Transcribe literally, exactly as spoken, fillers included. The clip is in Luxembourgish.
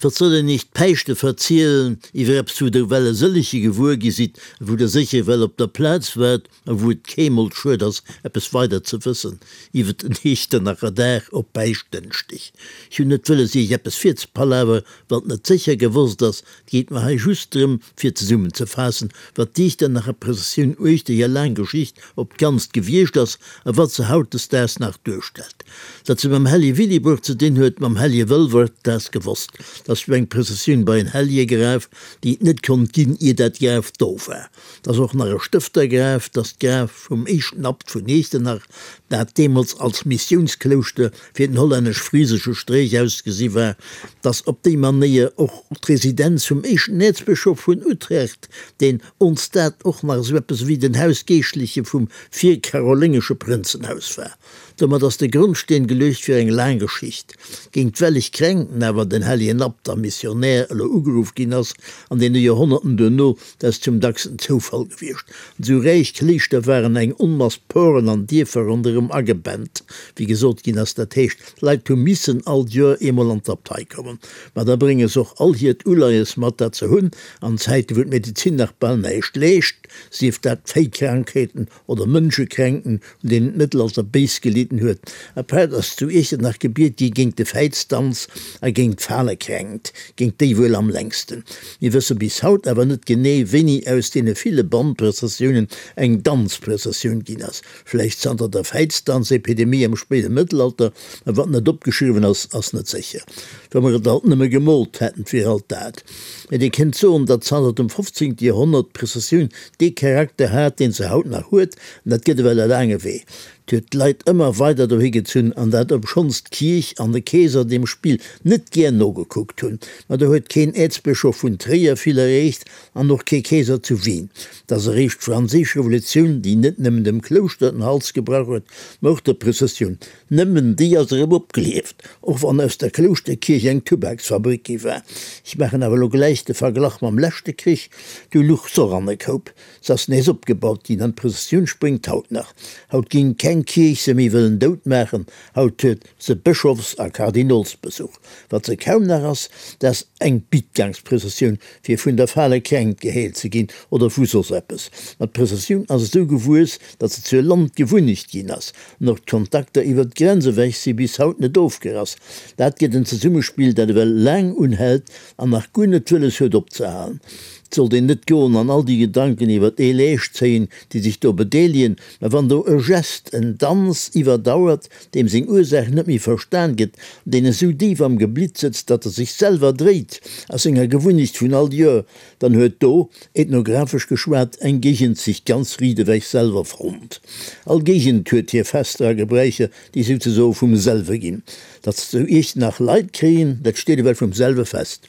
Wat soll een iech d'Päischte verzielen, iwwer eppes wou der well e sëllege gewuer gi sidd, wou der sécher well op der Plaz waart a wou et keemol schued ass eppes weider ze wëssen iwwer den Iechternacher Dag op Päischtdënschdeg. Ech hunn net wëlles iech eppes virzepalaver wat net sécher gewosst ass, et geet mer hei just drëm fir zesummenzefaassen wat d'Iechternacher Prëssessioun uechter hir laang Geschicht op d'ganzt gewiescht ass a wat se hautdesdaags nach duerstellt. Datt se mam Hellige Willibrord ze dinn huet, mam Hellige Wëlwert, dat ass gewosst. 't ass jo eng Prëssessioun bei en Helligegraf, déi et net konnt ginn, ier dat Graf do war. 't ass och nach e Stëftergraf, 't ass d'Graf vum éischten Abt vun Iechternach, dat deemools als Missiounsklouschter fir den hollännesch-frisesche Stréich ausgesi war. 't ass op déi Manéier och d'Residenz vum éischten Äerzbëschof vun Utrecht, deen ons dat och nach esou eppes ewéi den Hausgeeschtleche vum virkaroléngesche Prënzenhaus war. Domat ass de Grondsteen geluecht fir eng laang Geschicht. Géint welleg Kränkten awer den hellegen Abt a Missionär elo ugeruff ginn ass an deene Joerhonnerten duerno, dat ass zum dacksten Zoufall gewiescht. An esou räich Kléischter waren eng Onmass Poren an Dierfer ronderëm agebent, wéi gesot ginn ass. Dat heescht, d'Leit hu missen all d'Joer eemol an d'Abtei kommen. Ma da brénge se och all hiert Uleies mat, dat se hunn. An Zäite wou d'Medezin nach bal näischt leescht, sief dat Véikrankheeten oder Mënschekränken, un deenen d'Mëttelalter béis gelidden huet. Apaart ass zu Iechternach gebiet gi géint de Fäizdanz a géint d'Falekränkt, géint déi wuel am längsten. Mir wësse bis haut awer net genee, wéini aus deene ville Bannprëssessiounen eng Danzprëssessioun ginn ass. Vläicht zanter der Fäizdanzepidemie am spéide Mëttelalter, mä wat net opgeschriwwen ass, ass net sécher. Wa mer et alt nëmme gemoolt hätten, 't wier alt dat. Mä dir kënnt soen, datt zanter dem fofzéngte Joerhonnert d'Prëssessioun dee Charakter hat, deen se haut nach huet, an dat gëtt ewell e laange Wee. 't huet d'Leit ëmmer weider dohi gezunn, an dat obschonns d'Kierch an de Keeser deem Spill net gär nogekuckt hunn. Ma do huet keen Äerzbëschof vun Tréier vill erreecht an och kee Keeser zu Wien. 't ass eréischt d'Franséisch Revolutioun, déi net nëmmen dem Klouschter den Hals gebrach huet, ma och der Prëssessioun. Nëmmen déi ass erëm opgelieft, och wann aus der Klouschterkierch eng Tubaksfabrik gi war. Ech maachen awer elo gläich de Verglach mam leschte Krich, du luch s'och an e Koup. Se ass nees opgebaut ginn an d'Prëssessioun spréngt haut nach. Haut géing keng Kierch se méi wëllen dout maachen, haut huet se Bëschofs a Kardinolsbesuch. Wat se kaum nach ass, dat ass eng Bittgangsprëssessioun, fir vun der fale Kränkt geheelt ze ginn oder vu soss eppes. Ma d'Prëssessioun ass esou gewuess, datt se zur Landgewunnecht ginn ass. An och d'Kontakter iwwer d'Grenz ewech si bis haut net ofgerass. Dat gëtt en Zesummespill, dat ewell laang unhält an nach guer net wëlles huet opzehalen. Et sollt een net goen an all déi Gedanken iwwer ee Leescht zéien, déi sech do bedeelegen, mä wann do e Gest, en Danz iwwerdauert, deem seng Ursaach net méi verstan gëtt, an deen esou déif am Geblitt sëtzt, datt e sech selwer dréit a senger Gewunnecht vun all Joer, dann huet do, ethnographesch geschwat, eng Géigend sech ganz riit ewech selwer fonnt. All Géigend huet hir Fester a Gebräicher, déi souzesoe vum selwe ginn. Datt se zu Iechternach Leit kréien, dat steet ewell vum selwe fest.